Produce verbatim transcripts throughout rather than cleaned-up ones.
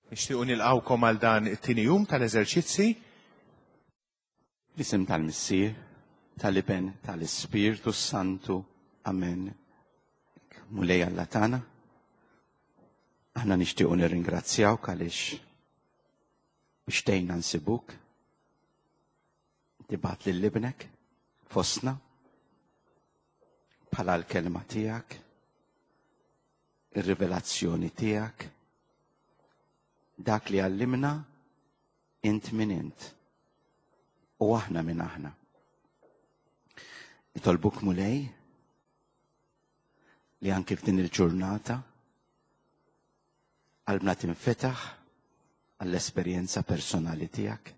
Nixtiequ nilqgħukom għal dan it-tieni jum tal-eżerċizzi. L-isem tal-Missier, tal-Iben, tal-Ispirtu Santu. Amen. Mulej Alla tagħna, aħna nixtiequ nirringrazzjawk għaliex biex tgħinna nsibuk. Tibgħat lil ibnek fostna bħala l-kelma tiegħek, ir-rivelazzjoni tiegħek, dak li għallimna int min int u aħna min aħna. Nitolbuk Mulej li anki f'din il-ġurnata qalbna tinfetaħ għall-esperjenza personali tiegħek.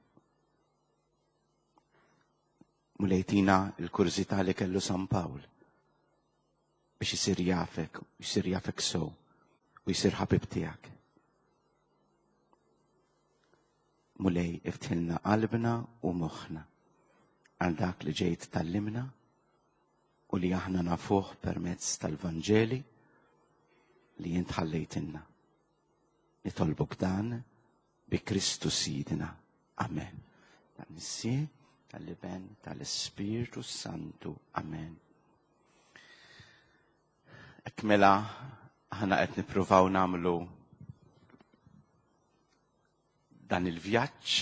Mulej tina l-kurżità li kellu San Pawl biex isir jafek, jisir jafek sew u jisir ħabib tiegħek. Mulej iftħilna qalbna u moħħna għal dak li ġejt tallimna u li aħna nafuh permezz tal-Vanġeli li int ħallejtilna. Nitolbuk dan bi Kristu Sidna. Amen. Tal-Missier, tal-Iben, tal-Ispirtu Santu. Amen. Hekk mela aħna qed nippruvaw nagħmlu dan il-vjaġġ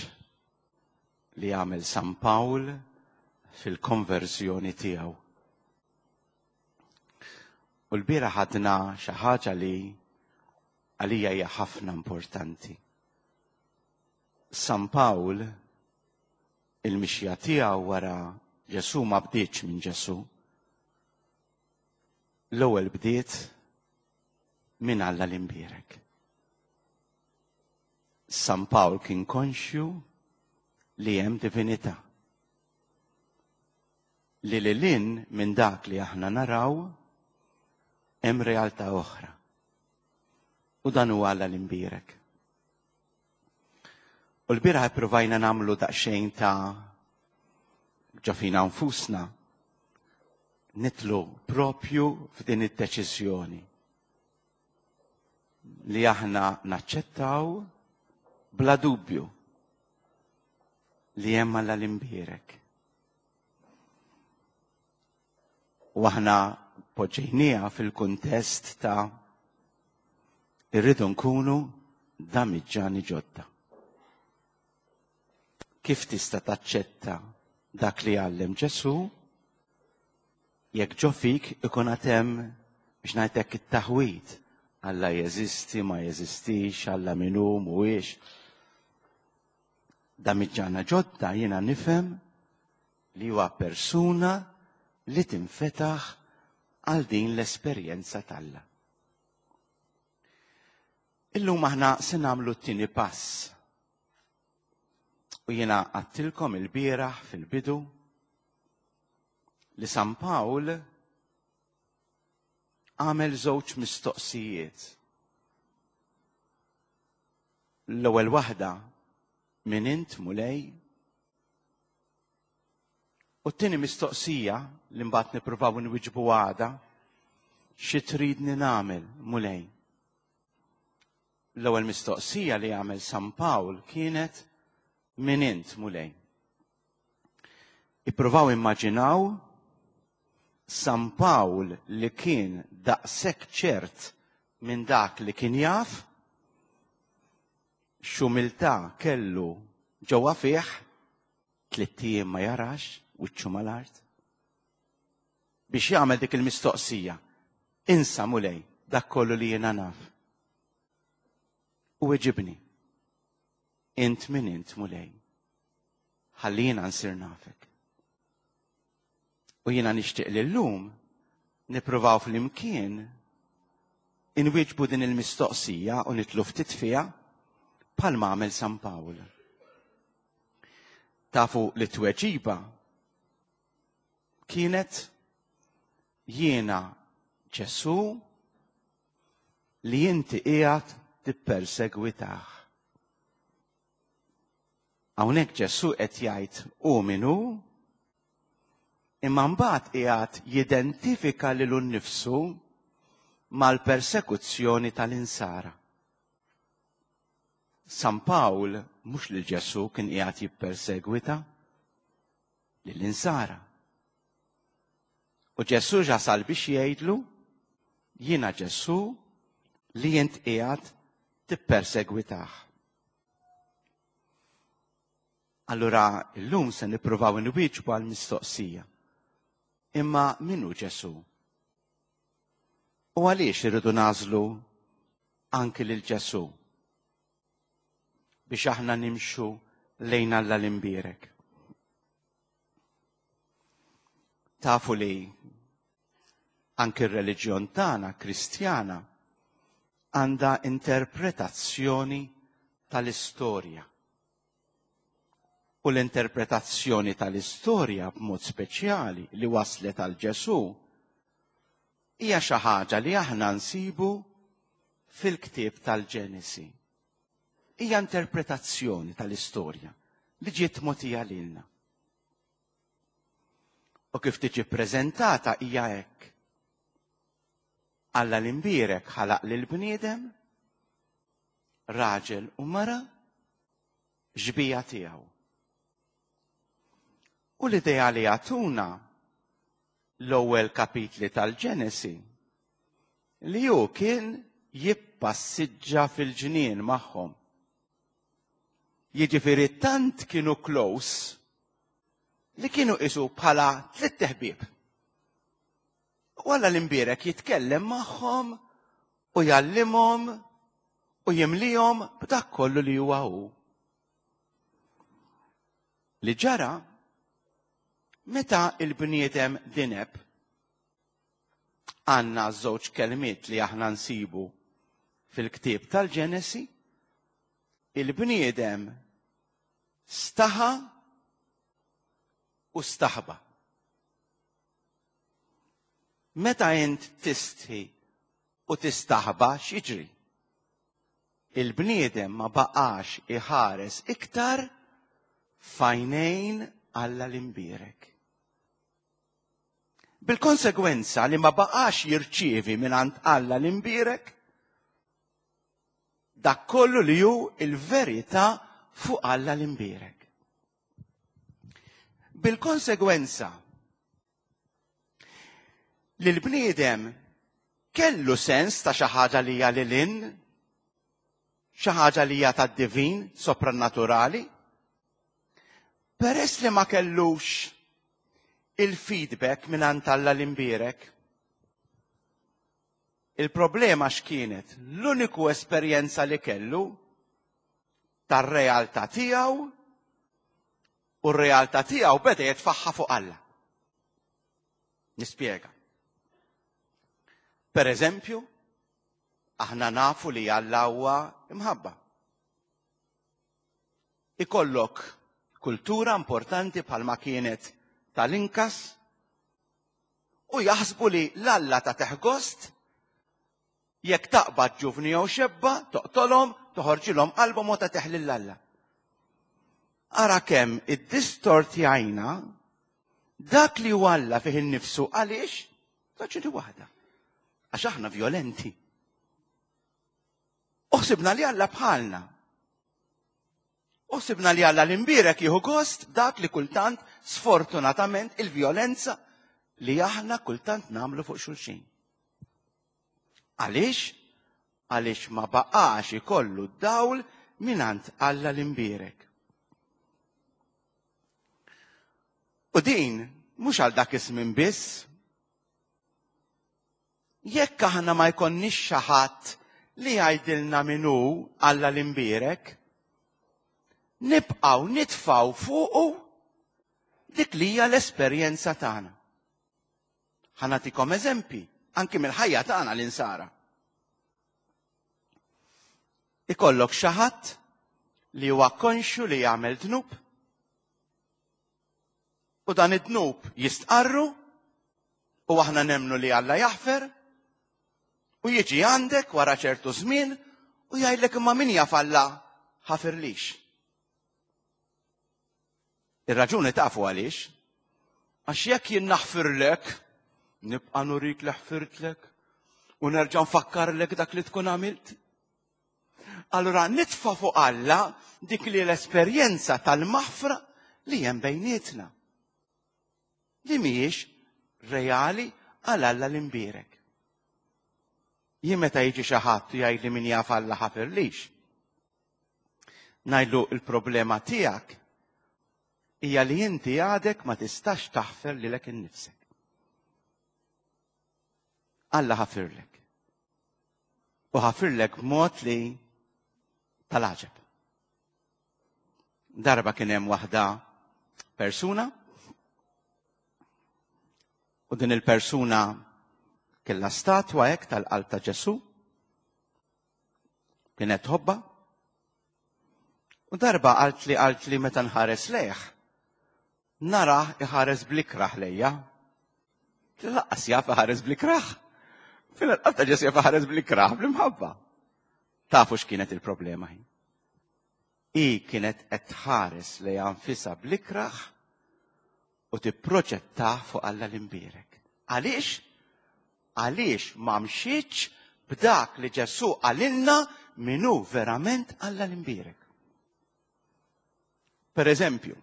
li għamel San Pawl fil-konverżjoni tiegħu. U l-bieraħ ħadna xi ħaġa li għalija hija ħafna importanti. San Pawl il-mixja tiegħu wara Ġesù ma bdietx minn Ġesù. L-ewwel bdiet minn Alla l-imbierek. San Pawl kien konxju li hemm divinità. Li lil hinn minn dak li aħna naraw hemm realtà oħra. U dan huwa Alla l-imbierek. U l-bieraħ ippruvajna nagħmlu daqsxejn ta' ġo fina nfusna nitlu propju f'din id-deċiżjoni li aħna naċċettaw bla dubju li hemm Alla l-imbierek. U aħna poġġejnieha fil-kuntest ta' irridu nkunu damiġġani ġodda. Kif tista' taċċetta dak li għallem Ġesù jekk ġo fik ikun għad hemm biex ngħidlek it-taħwid Alla jeżisti, ma jeżistix, Alla min hu, mhuwiex. Damiġġana ġodda jiena nifhem li huwa persuna li tinfetaħ għal din l-esperjenza t'Alla. Illum aħna se nagħmlu t-tieni pass. U jiena għattilkom il-bieraħ fil-bidu li San Pawl għamel żewġ mistoqsijiet. L-ewwel waħda, min int Mulej? U t-tieni mistoqsija li mbagħad nippruvaw nwiġbu għada, xi tridni nagħmel Mulej? L-ewwel mistoqsija li għamel San Pawl kienet min int Mulej? Ippruvaw immaġinaw San Pawl li kien daqshekk ċert minn dak li kien jaf, x'umiltà kellu ġewwa fih, tlitt ijiem ma jarax wiċċu mal-art, biex jagħmel dik il-mistoqsija. Insa Mulej dak kollu li jiena naf. U weġibni, int min int Mulej, ħalli jiena nsir nafek. U jiena nixtieq li llum nippruvaw flimkien inwieġbu din il-mistoqsija u nitlu ftit fiha bħalma għamel San Pawl. Tafu li tweġiba kienet jiena Ġesù li inti qiegħed tippersegwitah. Hawnhekk Ġesù qed jgħid hu min hu, imma mbagħad qiegħed jidentifika lilu nnifsu mal-persekuzzjoni tal-insara. San Pawl mhux lil Ġesù kien qiegħed jippersegwita, lill-insara. U Ġesù jasal biex jgħidlu, jiena Ġesù li int qiegħed tippersegwitah. Allura llum se nippruvaw inwieġbu għal mistoqsija. Imma min hu Ġesù? U għaliex irridu nagħżlu anki lil Ġesù biex aħna nimxu lejn Alla l-imbierek? Tafu li anki r-reliġjon tagħna Kristjana għandha interpretazzjoni tal-istorja. U l-interpretazzjoni tal-istorja b'mod speċjali li waslet għal Ġesù hija xi ħaġa li aħna nsibu fil-ktieb tal-Ġenesi. Hija interpretazzjoni tal-istorja li ġiet mogħtija lilna. U kif tiġi ppreżentata hija hekk. Alla l-imbierek ħalaq lil bniedem, raġel u mara, xbija tiegħu. U l-idea li jagħtuna l-ewwel kapitli tal-Ġenesi li hu kien jippassiġġa fil-ġnien magħhom. Jiġifieri tant kienu close li kienu qisu bħala tliet ħbieb. U Alla l-imbierek jitkellem magħhom u jgħallimhom u jimlihom b'dak kollu li huwa hu. Li ġara meta il-bniedem dineb, għandna żewġ kelmiet li aħna nsibu fil-ktieb tal-Ġenesi, il-bniedem staħa u staħba. Meta int tistħi u tistaħba x'jiġri? Il-bniedem ma baqax iħares iktar f'għajnejn Alla l-imbierek. Bil-konsegwenza li ma baqax jirċievi mingħand Alla l-imbierek dak kollu li hu il-verità fuq Alla l-imbierek. Bil-konsegwenza li l-bniedem kellu sens ta' xi ħaġa li hija lil hinn, xi ħaġa li hija tad-divin, soprannaturali, peress li ma kellux il-feedback mingħand Alla l-imbierek. Il-problema x'kienet? L-uniku esperjenza li kellu tar-realtà tiegħu, u r-realtà tiegħu beda jitfaħħa fuq Alla. Nispjega. Per eżempju, aħna nafu li Alla huwa imħabba. Ikollok kultura importanti bħalma kienet tal-Inkas u jaħsbu li l-Alla ta' teħgost jekk taqbad ġuvni jew xebba, toqtolhom, toħorġilhom qalbhom u ta' teħlil l-Alla. Ara kemm iddistortjajna dak li huwa Alla fih innifsu. Għaliex? Raġuni waħda. Għax aħna violenti. Uħsibna li Alla bħalna. Uħsibna li Alla l-imbierek jieħu gost dak li kultant sfortunatament il-vjolenza li aħna kultant nagħmlu fuq xulxin. Għaliex? Għaliex ma baqax ikollu d-dawl mingħand Alla l-imbierek. U din mhux għal dak iż-żmien biss. Jekk aħna ma jkollniex xi ħadd li jgħidilna min hu Alla l-imbierek, nibqgħu nitfgħu fuqu dik li hija l-esperjenza tagħna. Ħa nagħtikom eżempji anki mill-ħajja tagħna l-insara. Ikollok xi ħadd li huwa konxju li jagħmel dnub, u dan id-dnub jistqarru, u aħna nemmnu li Alla jaħfer, u jiġi għandek wara ċertu żmien u jgħidlek imma min jaf Alla ħafirlix. Ir-raġuni tafu għaliex? Għax jekk jien naħfirlek, nibqa' nurik li ħfirtlek u nerġa' nfakkarlek dak li tkun għamilt. Allura nitfa' fuq Alla dik li l-esperjenza tal-maħfra li hemm bejnietna. Li mhijiex reali għal Alla l-imbierek. Jien meta jiġi xi ħadd u jgħidli min jaf Alla ħafirlix. Ngħidlu il-problema tiegħek hija li inti għadek ma tistax taħfer lilek innifsek. Alla ħafirlek. U ħafirlek b'mod li tal-għaġeb. Darba kien hemm waħda persuna u din il-persuna kellha statwa hekk tal-qalb ta' Ġesù, kienet tħobbha. U darba qalt li qalt li meta nħares lejh, nara iħares blikraħ lejja. Laqqas jaf iħares blikraħ. Fil-qalb ta' Ġesù jaf iħares blikraħ bl-imħabba. Tafu x'kienet il-problema hi? Hi kienet qed tħares lejha nfisha blikraħ u tipproġetta fuq Alla l-imbierek. Għaliex? Għaliex ma mxietx b'dak li Ġesù qalilna min hu verament Alla l-imbierek. Per eżempju,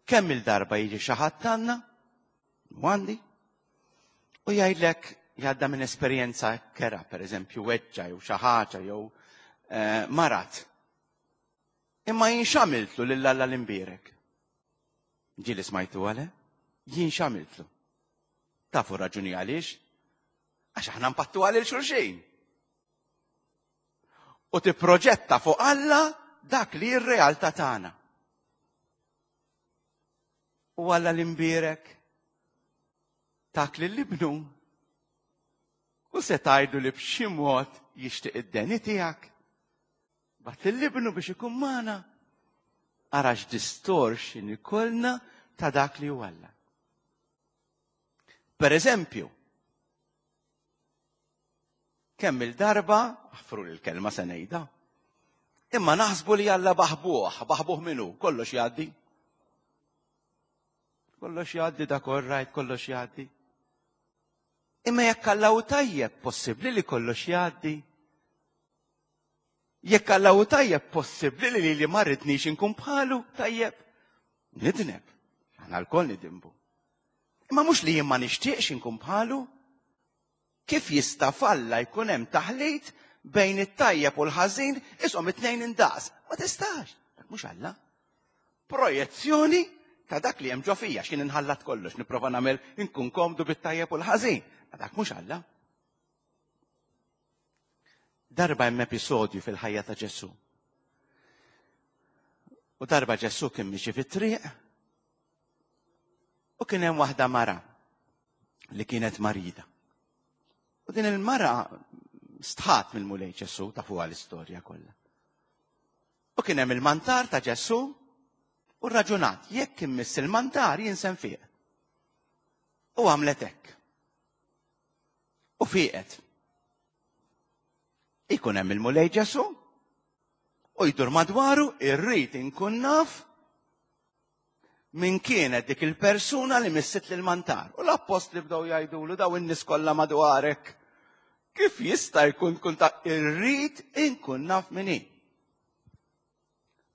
kemm il-darba jiġi xi ħadd għandna, u għandi, u jgħidlek jgħadda minn esperjenza kera, per eżempju, weġġa jew xi ħaġa jew eh, marat. Imma jien x'għamiltlu lil Alla l-imbierek? Ġieli smajtu għale? Jien x'għamiltlu? Tafu raġuni għaliex? Għax aħna npattu għal xulxin. U tipproġetta fuq Alla dak li r-realtà tagħna. U Alla l-imbierek tak li l-ibnu u se tgħidu li b'xi mod jixtieq id-deni tiegħek. Bagħat l-ibnu biex ikun magħna. Ara x'distortion ikollna ta' dak li hu Alla. Per eżempju, kemm il-darba, aħfru l-kelma se ngħidha, imma naħsbu li Alla baħbuh, baħbuh minnu, kollox jgħaddi. Kollox jgħaddi, dak all right, kollox jgħaddi. Imma jekk Alla hu tajjeb, possibbli li kollox jgħaddi. Jekk Alla hu tajjeb, possibbli li li ma rridnix inkun bħalu tajjeb. Nidneb, aħna lkoll nidinbu. Imma mhux li jien ma nixtieqx inkun bħalu. Kif jista' f'Alla jkun hemm taħlit bejn it-tajjeb u l-ħażin, ishom it-tnejn indaqs? Ma tistax. Dak mhux Alla. Projezzjoni ta' dak li hemm ġo fija, x'kien inħallat kollox, nipprova nagħmel inkun komdu bit-tajjeb u l-ħażin. Ma dak mhux Alla. Darba hemm episodju fil-ħajja ta' Ġesù. U darba Ġesù kien miexi fit-triq u kien hemm waħda mara li kienet marida. U din il-mara stħat mill-Mulej Ġesù, tafuha l-istorja kollha. U kien hemm il-mantar ta' Ġesù u raġunat, jekk immiss il-mantar jien se nfiq. U għamlet hekk. U fiqet. Ikun hemm il-Mulej Ġesù u jdur madwaru, irrid inkun naf min kienet dik il-persuna li missit lil mantar. U l-appostli bdew jgħidulu daw in-nies kollha madwarek. Kif jista' jkun kun ta' irrid inkun naf min hi?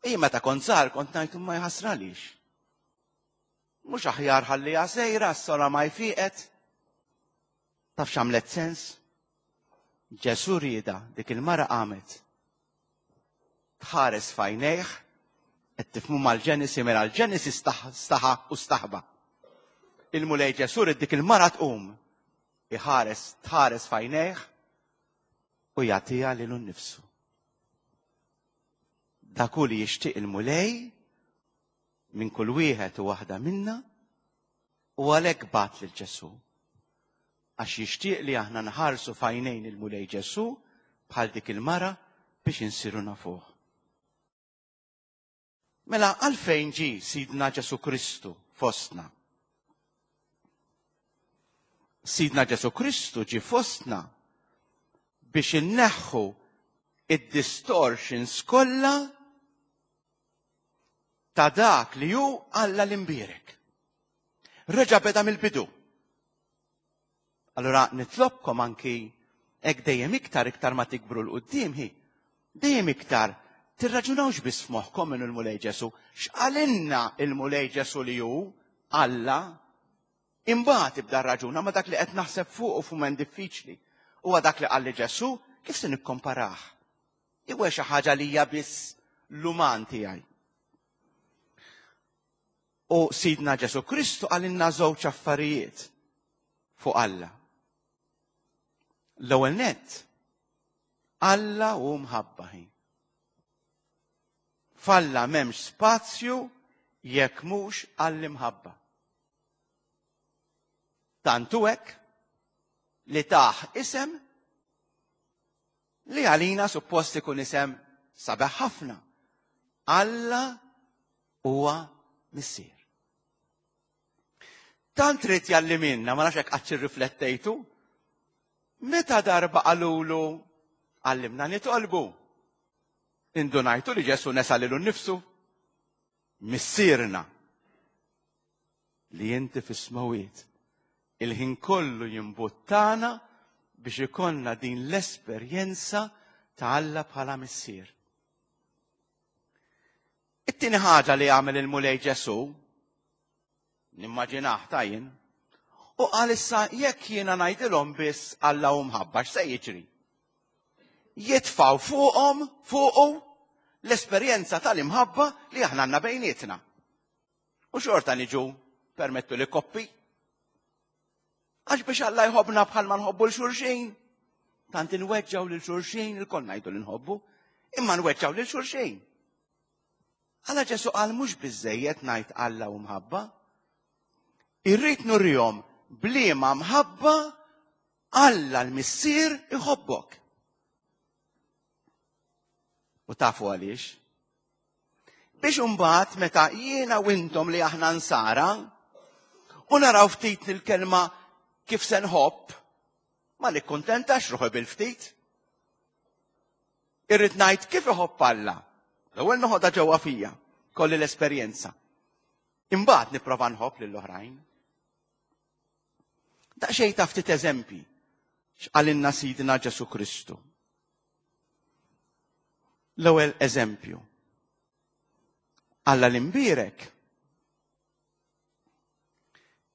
Jien meta kont żgħar kont ngħid ma jħassralix. Mhux aħjar ħalliha sejra s-sora ma jfiqet. Taf x'għamlet sens? Ġesù rieda dik il-mara qamet. Tħares f'għajnejh, qed tifhmu mal-Ġenesi, mela l-Ġenesi staħa u staħba. Il-Mulej Ġesù ried dik il-mara tqum, iħares, tħares f'għajnejh u jagħtiha lilu nnifsu. Dak hu li jixtieq il-Mulej minn kull wieħed u waħda minna u għalhekk bagħat lil Ġesù. Għax jixtieq li aħna nħarsu f'għajnejn il-Mulej Ġesù bħal dik il-mara biex insiru nafuh. Mela għalfejn ġie Sidna Ġesù Kristu fostna? Sidna Ġesù Kristu ġie fostna biex inneħħu id-distortions kollha ta' dak li hu Alla l-imbierek. Reġa' beda mill-bidu. Allora nitlobkom anki hekk dejjem iktar iktar ma tikbru 'l quddiem hi. Dejjem iktar tirraġunawx biss f'moħħkom minn il-Mulej Ġesu. X'qalilna il-Mulej Ġesu li hu Alla? Imbagħad ibda raġuna ma dak li qed naħseb fuq u f'mument diffiċli. Huwa dak li qalli Ġesu, kif se nikkomparah? Jew xi ħaġa li hija biss l-uman tiegħi. U Sidna Ġesu Kristu qalilna żewġ affarijiet fuq Alla. L-ewwel nett, Alla hu mħabba hi. F'Alla m'hemmx spazju jekk mhux għall-imħabba. Tantu hekk li tah isem li għalina suppost ikun isem sabiħ ħafna. Alla huwa missier. Tant trid jalliminna, ma nafx hekk qatt irriflettejtu, meta darba qalulu għallimna nitolbu. Indunajtu li Ġesu nesa lilu nnifsu? Missierna li inti fis-smawiet il-ħin kollu jimbuttana biex ikollna din l-esperjenza ta' Alla bħala missier. It-tieni ħaġa li għamel il-Mulej Ġesu, nimmaġinah tajjin, u qal issa jekk jiena ngħidilhom biss Alla hu mħabba, x'se jiġri? Jitfaw fuqhom fuqu l-esperjenza tal-imħabba li aħna għandna bejnietna. U xorta niġu permettu li koppi. Għax biex Alla jħobbna bħalma nħobbu 'l xulxin. Tant inweġġaw lil xulxin, ilkoll ngħidu li nħobbu, imma nweġġaw lil xulxin. Alla Ġesu qal mhux biżejjed ngħid Alla u mħabba. Irrid nurihom bliema mħabba Alla l-Missier iħobbok. U tafu għaliex? Biex imbagħad meta jiena u intom li aħna nsara u naraw ftit il-kelma kif se nħobb, ma nikkuntentax ruħi bil-ftit. Irrid ngħid kif iħobb Alla. L-ewwel noħodha ġewwa fija, kolli l-esperjenza. Imbagħad nipprova nħobb lill-oħrajn. Daqsxejn ta' ftit eżempji x'qalilna Sidna Ġesu Kristu. L-ewwel eżempju. Alla l-imbierek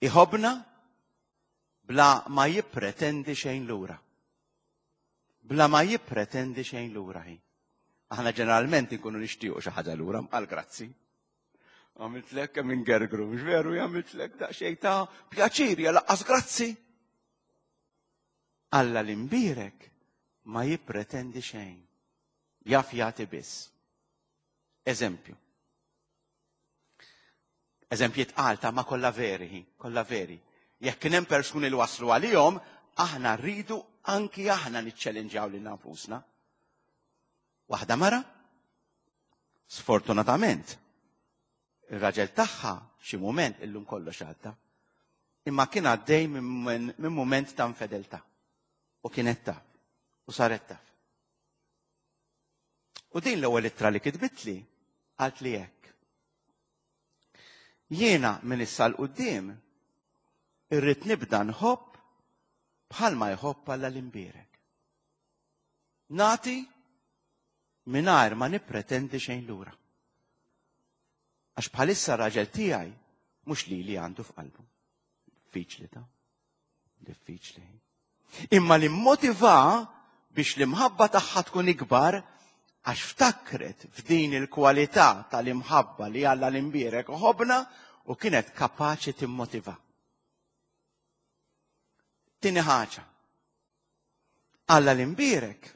iħobna bla ma jippretendi xejn lura. Bla ma jippretendi xejn lura hi. Aħna ġeneralment nkunu nixtiequ xi ħaġa lura, għal grazzi. Għamiltlek kemm ingergru, mhux veru għamiltlek daqsxejn ta' pjaċir, ja laqqas grazzi. Alla l-imbierek ma jippretendi xejn. Jaf jagħti biss. Eżempju. Eżempji tqal ta' ma kollha veri, kollha veri. Jekk kien hemm persuni li waslu għalihom, aħna rridu anki aħna niċċellinġjaw lil nfusna. Waħda mara, sfortunatament, ir-raġel tagħha xi mument illum kollox għadda, imma kien għaddej minn mument ta' infedeltà. U kienet taf, u saret taf. U din l-ewwel ittra li kitbitli qalt li hekk. Jiena minn issa 'l quddiem irrid nibda nħobb bħalma jħobb Alla l-imbierek. Nati mingħajr ma nippretendi xejn lura. Għax bħalissa raġel tiegħi mhux li li għandu f'qalbu. Diffiċli ta' diffiċli. Imma li motiva biex l-imħabba tagħha tkun ikbar għax ftakret f'din il-kwalità tal-imħabba li Alla l-imbierek ħobna u kienet kapaċi timmotiva. Tieni ħaġa. Alla l-imbierek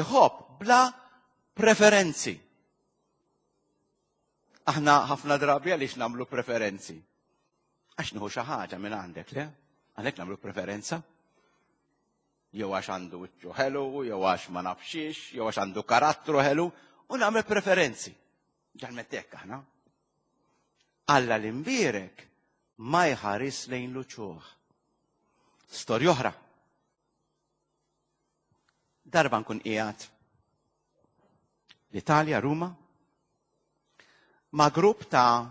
iħobb bla preferenzi. Aħna ħafna drabi għaliex nagħmlu preferenzi. Għax nieħu xi ħaġa minn għandek, le? Għalhekk nagħmlu preferenza. Jew għax għandu wiċċu ħelu, jew għax ma nafxiex, jew għax għandu karattru ħelu, u nagħmel preferenzi. Ġalmet hekk aħna. Alla l-imbierek ma jħares lejn l-uċuħ. Storja oħra. Darba nkun qiegħed l-Italja, Ruma, ma' grupp ta'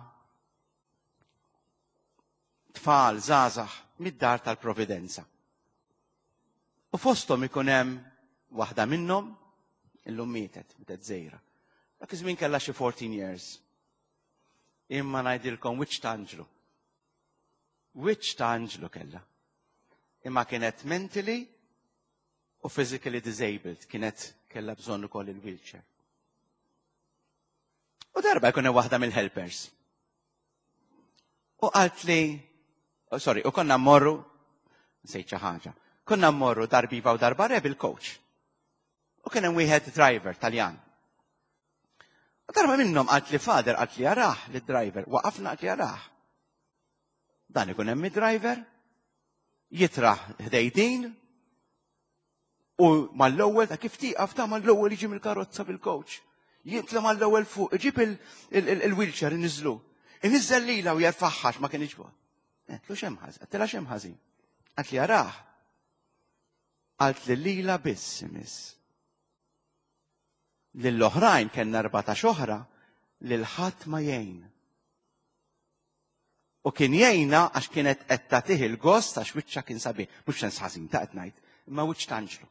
tfal żgħażagħ mid-dar tal-Providenza. U fosthom ikun hemm waħda minnhom Illum mietet, mietet żgħira. Dak iż-żmien kellha xi fourteen years. Imma ngħidilkom wiċċ ta' anġlu. Wiċċ ta' anġlu kellha. Imma kienet mentally u physically disabled, kienet kellha bżonn ukoll il-wheelchair. U darba jkun hemm waħda mill-helpers. U qalt li, oh, sorry, u konna mmorru, nsejt xi ħaġa, konna mmorru darba iva u darba le bil-coach. U kien hemm wieħed driver Taljan. U darba minnhom qalt li father qalt li jarah li driver, waqafna qalt li jarah. Dan ikun hemm driver jitraħ ħdejn u mal-ewwel ta' kif tieqaf ta' mal-ewwel jiġi mill-karozza bil-coach. Jitla mal-ewwel fuq, iġib il-wheelchair iniżlu. Iniżżel lilha u jerfagħha ma kienx bogħod. Għedtlu x'hemm ħażin, għedtilha x'hemm ħażin. Qalt li jarah. Qalt li lilha biss imiss. Lill-oħrajn kellna erbatax oħra lil ħadd ma jgħin. U kien jgħinha għax kienet qed tagħtih il-gost għax wiċċha kien sabiħ, mhux sens ħażin ta' qed ngħid, imma wiċċ t'anġlu.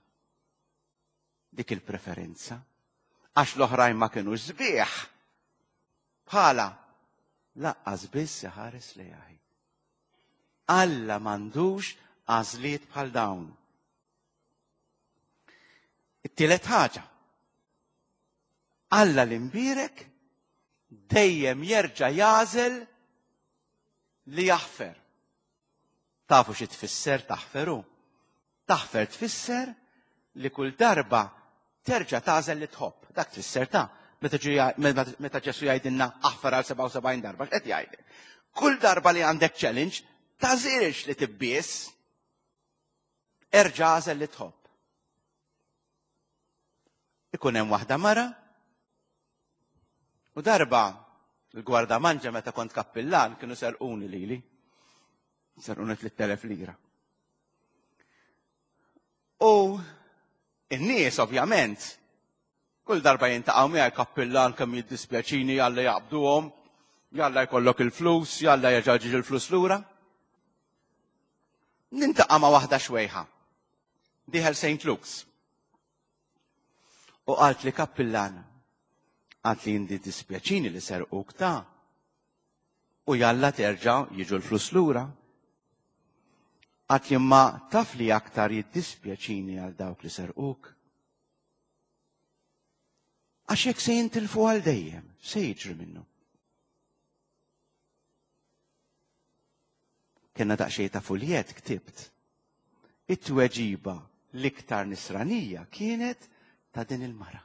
Dik il-preferenza. Għax l-oħrajn ma kienux sbieħ. Bħala, laqqas biss iħares lejha. Alla m'għandux għażliet bħal dawn. It-tielet ħaġa. Alla l-imbierek dejjem jerġa' jagħżel li jaħfer. Tafu xi tfisser taħferu? Taħfer tfisser li kull darba terġa' tagħżel li tħobb. Dak tfisser ta' meta meta Ġesu jgħidilna aħfer għal sebgħa u sebgħin darba, x'qed jgħidlek? Kull darba li għandek challenge, tagħżilx li tibbies, erġa' għażel li tħobb. Ikun hemm waħda mara u darba il-gwarda manġa meta kont kappillan kienu serquni lili. Serquni tliet elef lira. U in-nies ovvjament kull darba jintaqgħu miegħi kappillan kemm jiddispjaċini jalla jaqbduhom, jalla jkollok il-flus, jalla jerġa' ġiġ il-flus lura. Nintaqa' ma' waħda xwejħa. Dieħel Saint Luke's. U qalt li kappillan, qalt li jindi dispjaċini li serquk ta' u jalla terġa' jiġu l-flus lura. Qalt li ma taf li aktar jiddispjaċini għal dawk li serquk. Għax jekk se jintilfu għal dejjem, se jiġri minnu. Kenna daqsxejn ta' fuljet ktibt. It-tweġiba l-iktar nisranija kienet ta' din il-mara.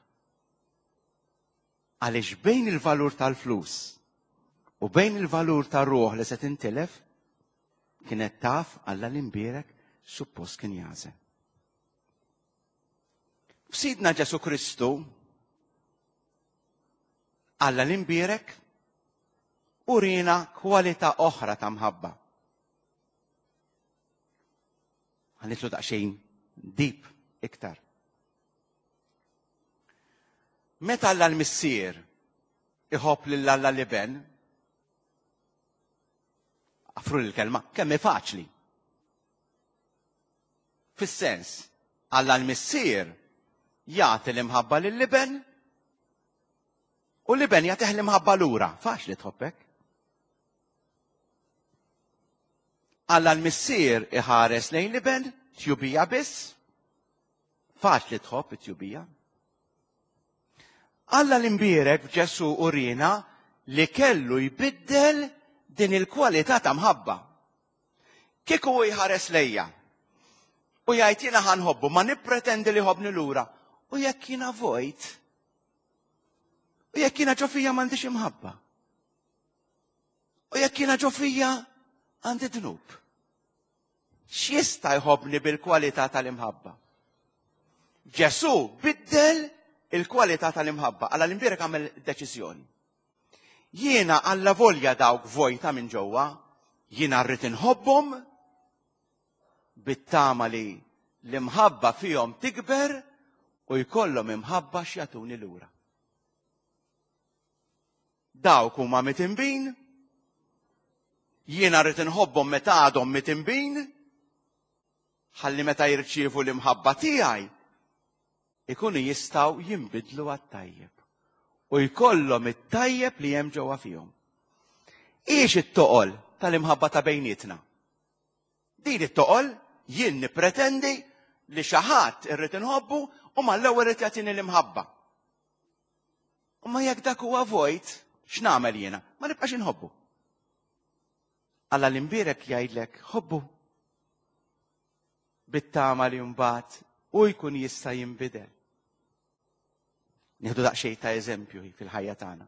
Għaliex bejn il-valur tal-flus u bejn il-valur tar-ruħ li se tintilef, kienet taf Alla l-imbierek suppost kien jażel. F'Sidna Ġesu Kristu, Alla l-imbierek urina kwalità oħra ta' mħabba. Ħanitlu daqsxejn deep iktar. Meta Alla l-Missier iħobb lil Alla l-Iben, għafru l-kelma, kemm hi faċli. Fis-sens, Alla l-Missier jagħti l-imħabba lill-Iben u l-Iben jagħtih l-imħabba lura. Faċli tħobbek. Alla l-Missier iħares lejn l-Iben, tjubija biss. Faċli tħobb it-tjubija. Alla l-imbierek f'Ġesu urina li kellu jbiddel din il-kwalità ta' mħabba. Kieku hu jħares lejja u jgħid jiena ħanħobbu, ma nippretendi li ħobni lura. U jekk jiena vojt, u jekk jiena ġo fija m'għandix imħabba, u jekk jiena ġo fija għandi dnub, x'jista' jħobbni bil-kwalità tal-imħabba? Ġesu biddel il-kwalità tal-imħabba. Alla l-imbierek għamel deċiżjoni. Jiena alla volja dawk vojta minn ġewwa, jiena rrid inħobbhom bit-tama li l-imħabba fihom tikber u jkollhom imħabba x'jagħtuni lura. Dawk huma mitinbin, jiena rrid inħobbhom meta għadhom mitinbin, ħalli meta jirċievu l-imħabba tiegħi Ikunu jistgħu jinbidlu għat-tajjeb. U jkollhom it-tajjeb li hemm ġewwa fihom. Ix it-toqol tal-imħabba ta' bejnietna? Din it-toqol jien nippretendi li xi ħadd irrid inħobbu u mal-ewwel irid jagħtini l-imħabba. U ma jekk dak huwa vojt, x'nagħmel jiena? Ma nibqax inħobbu. Alla l-imbierek jgħidlek ħobbu. Bit-tama li mbagħad u jkun jista' jinbidel. Nieħdu daqsxejn ta' eżempju fil-ħajja tagħna.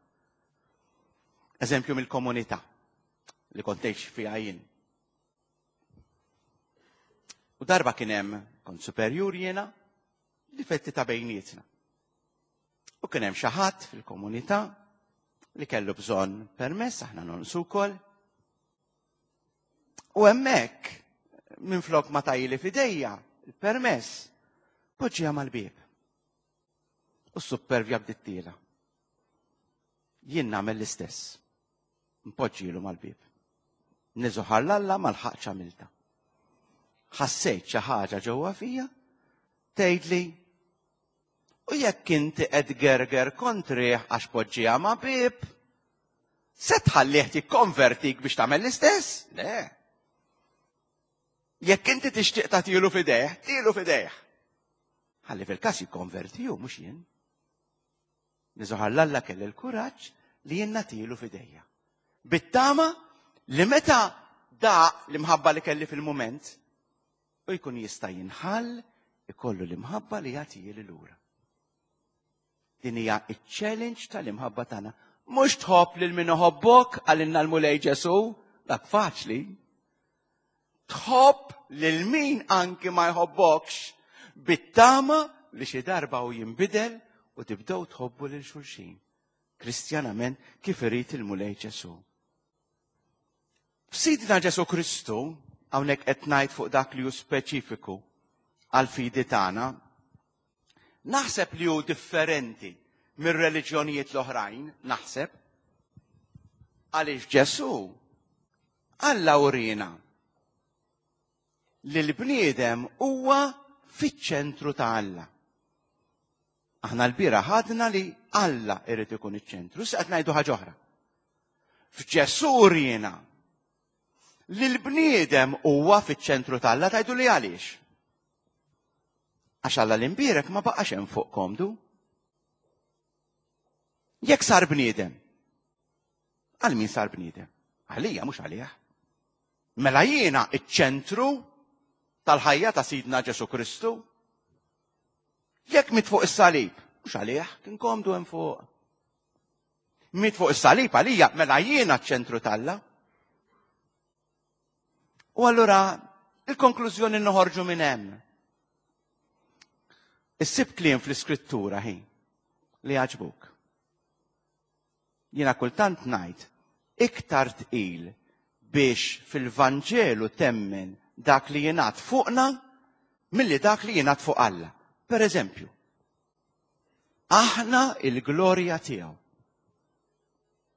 Eżempju mill-komunità li kont ngħix fiha jien. U darba kien hemm kont superjur jiena, difetti ta' bejnietna. U kien hemm xi ħadd fil-komunità li kellu bżonn permess, aħna nonqsu wkoll. U hemmhekk minflok ma tajli f'idejja il-permess, poġġiha mal-bieb. U s-suppervja bdiet tiela. Jien nagħmel l-istess. Npoġġilu mal-bieb. Niżuħar l-Alla ma lħaqx għamilta. Ħassejt xi ħaġa ġewwa fija tgħidli u jekk inti qed gerger kontrih għax poġġiha ma' bieb, se tħallih tikkonvertik biex tagħmel l-istess? Le. Jekk inti tixtieq tagħtilu f'idejh, tilu f'idejh. Ħalli fil-każ jikkonverti hu mhux jien. Niżuħar l-Alla kelli l-kuraġġ li jien nagħtilu f'idejja. Bit-tama li meta da l-imħabba li kelli fil-mument, u jkun jista' jinħall ikollu l-imħabba li jagħtieli lura. Din hija iċ-challenge tal-imħabba tagħna. Mhux tħobb lil min iħobbok għalinna l-Mulej Ġesu, dak faċli. Tħobb lil min anki ma jħobbokx bit-tama li xi darba u jinbidel u tibdew tħobbu lil xulxin. Kristjanament kif irid il-Mulej Ġesu. F'Sidna Ġesu Kristu, hawnhekk qed ngħid fuq dak li hu speċifiku għall-fidi tagħna, naħseb li hu differenti mir-reliġjonijiet l-oħrajn, naħseb, għaliex Ġesu Alla urina li l-bniedem huwa fiċ-ċentru ta' Alla. Aħna l-bira ħadna li Alla irid ikun iċ-ċentru, issa qed ngħidu ħaġa oħra. F'Ġesu urina li l-bniedem huwa fiċ-ċentru ta' Alla, tgħidu li għaliex? Għax Alla l-imbierek ma baqax hemm fuq komdu. Jekk sar bniedem, għal min sar bniedem? Għalija mhux għalih. Mela jiena iċ-ċentru tal-ħajja ta' Sidna Ġesu Kristu. Jekk miet fuq is-salib, mhux għalih, kien komdu hemm fuq. Miet fuq is-salib għalija, mela jiena ċ-ċentru t'Alla. U allura il-konklużjoni noħorġu minn hemm. Issib kliem fl-iskrittura ħin li għaġbuk. Jiena kultant ngħid iktar tqil biex fil-Vanġelu temmen dak li jingħad fuqna milli dak li jingħad fuq Alla. Per eżempju, aħna il-glorja tiegħu.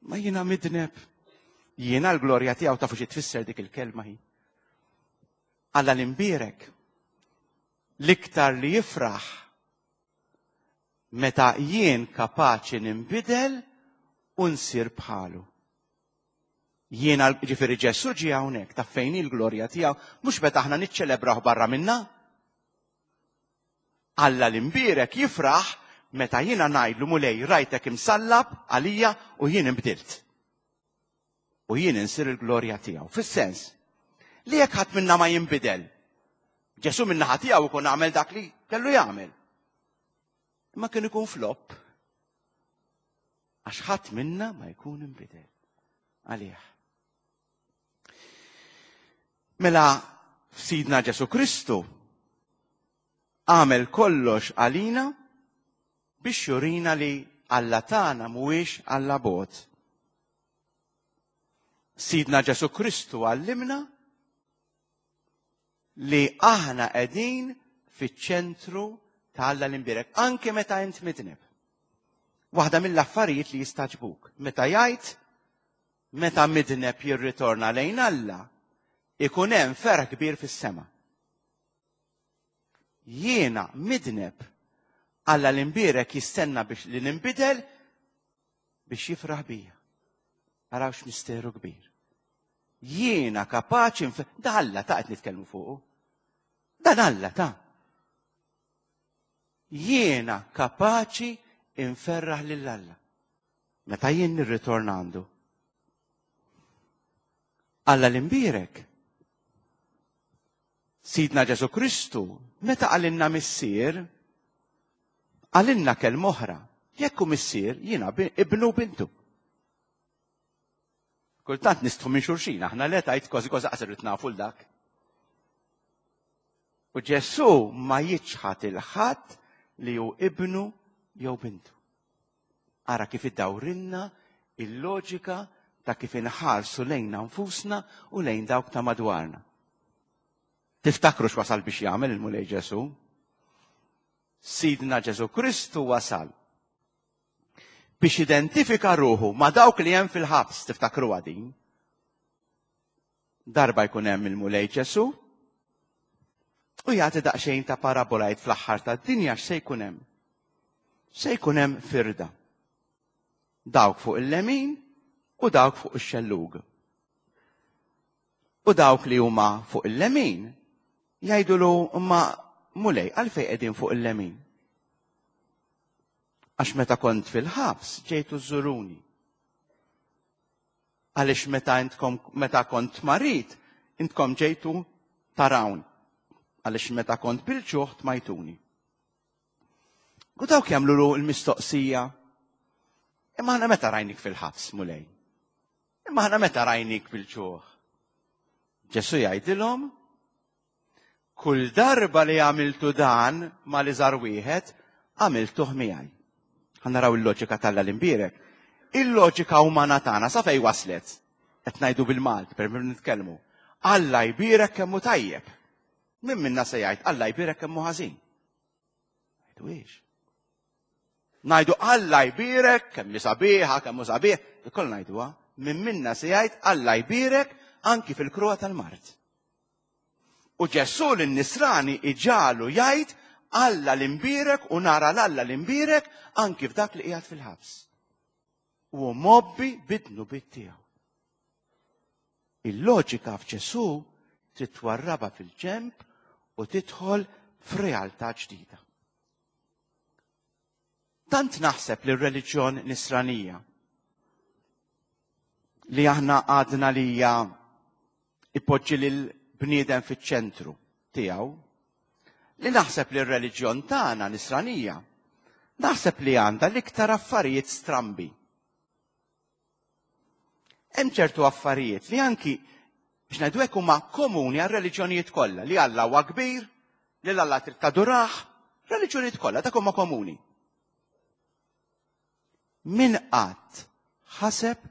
Ma jiena midneb. Jiena l-glorja tiegħu tafu xi tfisser dik il-kelma hi. Alla l-imbierek l-iktar li jifraħ meta jien kapaċi ninbidel u nsir bħalu. Jiena ġifieri Ġesu ġie hawnhekk ta' fejn il-glorja tiegħu mhux meta aħna niċċelebraw barra minna. Alla l-imbierek jifraħ meta jiena ngħidlu Mulej rajtek imsallab għalija u jien inbdilt. U jien insir il-glorja tiegħu. Fis-sens li jekk ħadd minna ma jinbidel, Ġesu min-naħa tiegħu ikun għamel dak li kellu jagħmel. Imma kien ikun flop. Għax ħadd minna ma jkun inbidel għalih. Mela f'Sidna Ġesu Kristu għamel kollox għalina biex jurina li Alla tagħna mhuwiex Alla bot. Sidna Ġesu Kristu għallimna li aħna qegħdin fiċ-ċentru ta' Alla l-imbierek, anke meta int midneb. Waħda mill-affarijiet li jistaġbuk, meta jgħid meta midneb jirritorna lejn Alla, ikun hemm ferħ kbir fis-sema. Jiena midneb Alla l-imbierek jistenna biex li ninbidel biex jifraħ bija. Arawx misteru kbir. Jiena kapaċi nf... Da Alla ta' qed nitkellmu fuqu. Dan Alla ta'. Jiena kapaċi inferraħ lil Alla. Meta jien nirritorna għandu. Alla l-imbierek. Sidna Ġesu Kristu, meta qalilna missier, qalilna kelma oħra. Jekk hu missier, jiena ibnu bintu. Kultant nistħu minn xulxin, aħna le tajt kważi kważi qasir nafu l-dak. U Ġesu ma jiċħad il-ħadd li hu ibnu jew bintu. Ara kif iddawrilna il-loġika ta' kif inħarsu lejna nfusna u lejn dawk ta' madwarna. Tiftakru x'wasal biex jagħmel il-Mulej Ġesu? Sidna Ġesu Kristu wasal biex identifika ruħu ma' dawk li hemm fil-ħabs, tiftakru din. Darba jkun hemm il-Mulej Ġesu u jagħti daqsxejn ta' parabola jgħid fl-aħħar tad-dinja x'se jkun hemm. Se jkun hemm firda. Dawk fuq il-lemin u dawk fuq ix-xellug. U dawk li huma fuq il-lemin jgħidulu imma Mulej għalfejn qegħdin fuq il-lemin? Għax meta kont fil-ħabs ġejtu żuruni. Għaliex meta intkom meta kont marid intkom ġejtu tarawn. Għaliex meta kont bil-ġuħ tmajtuni. U dawk jagħmlu l-mistoqsija. Imma aħna meta rajnik fil-ħabs, Mulej? Imma aħna meta rajnik bil-ġuħ? Ġesu jgħidilhom, kull darba li għamiltu dan ma li żar wieħed, għamiltuh miegħi. Ħa naraw il-loġika t'Alla l-imbierek. Il-loġika umana tagħna sa fejn waslet? Qed ngħidu bil-Malti, per nitkellmu. Alla jbierek kemm hu tajjeb. Min minna se jgħid Alla jbierek kemm hu ħażin? Ngħidu Ngħidu Alla jbierek kemm hi sabiħa, kemm hu sabiħ, ikoll ngħiduha. Min minna se jgħid Alla jbierek anki fil-kruha tal-mard. U Ġesù lin-nisrani iġalu jgħid Alla l-imbierek u nara l-Alla l-imbierek anki f'dak li qiegħed fil-ħabs. U mobbi bid-dnubiet tiegħu. Il-loġika f'Ġesù trid twarrabha fil-ġenb u tidħol f'realtà ġdida. Tant naħseb li r-reliġjon nisranija li aħna għadna li hija ipoġġi lil bniedem fiċ-ċentru tiegħu, li naħseb li r-reliġjon tagħna nisranija, naħseb li għandha l-iktar affarijiet strambi. Hemm ċertu affarijiet li anki biex ngħidu hekk huma komuni għar-reliġjonijiet kollha, li Alla huwa kbir, li l-Alla trid tadurah, reliġjonijiet kollha dak huma komuni. Min qatt ħaseb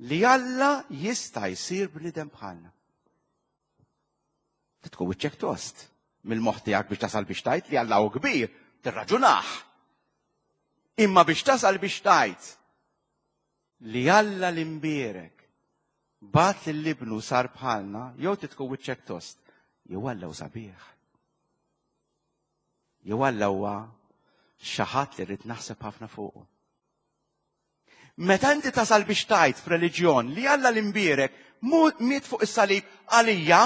li Alla jista' jsir bniedem bħalna? Tkun wiċċek tost mill-moħħ tiegħek biex tasal biex tgħid li Alla hu kbir, tirraġunah. Imma biex tasal biex tgħid li Alla l-imbierek bagħat lil ibnu sar bħalna, jew titkun wiċċek tost, jew Alla hu sabiħ. Jew Alla huwa xi ħadd li rrid naħseb ħafna fuqu. Meta inti tasal biex tgħid f'reliġjon li Alla l-imbierek miet fuq is-salib għalija,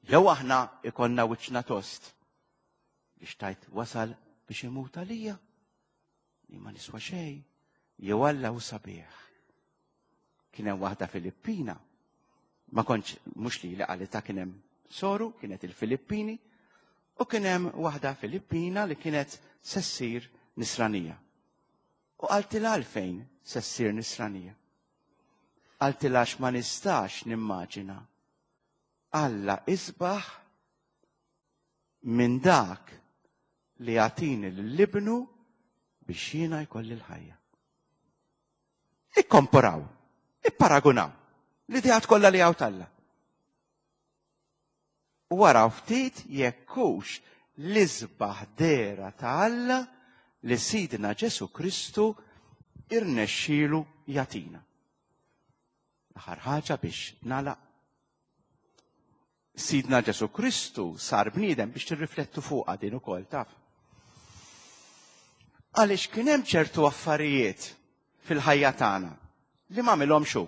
jew aħna ikollna wiċċna tost biex tgħid wasal biex imut għalija, li ma niswa xejn, jew Alla hu sabiħ. Kien hemm waħda Filippina, ma kontx mhux li li qalita kien hemm soru, kienet il-Filippini, u kien hemm waħda Filippina li kienet se ssir nisranija. U qaltilha għalfejn se ssir nisranija. Qaltilha għax ma nistax nimmaġina Alla isbaħ minn dak li jagħtini lil ibnu biex jiena jkolli l-ħajja. Ikkomparaw, ipparagunaw l-ideat kollha li hawn t'Alla. U waraw ftit jekk hux l-isbaħ dehra ta' Alla li Sidna Ġesu Kristu irnexxielu jagħtina. L-aħħar ħaġa biex nagħlaq. Sidna Ġesù Kristu sar bniedem biex tirriflettu fuqha din ukoll, taf. Għaliex kien hemm ċertu affarijiet fil-ħajja tagħna li ma għamilhomx hu.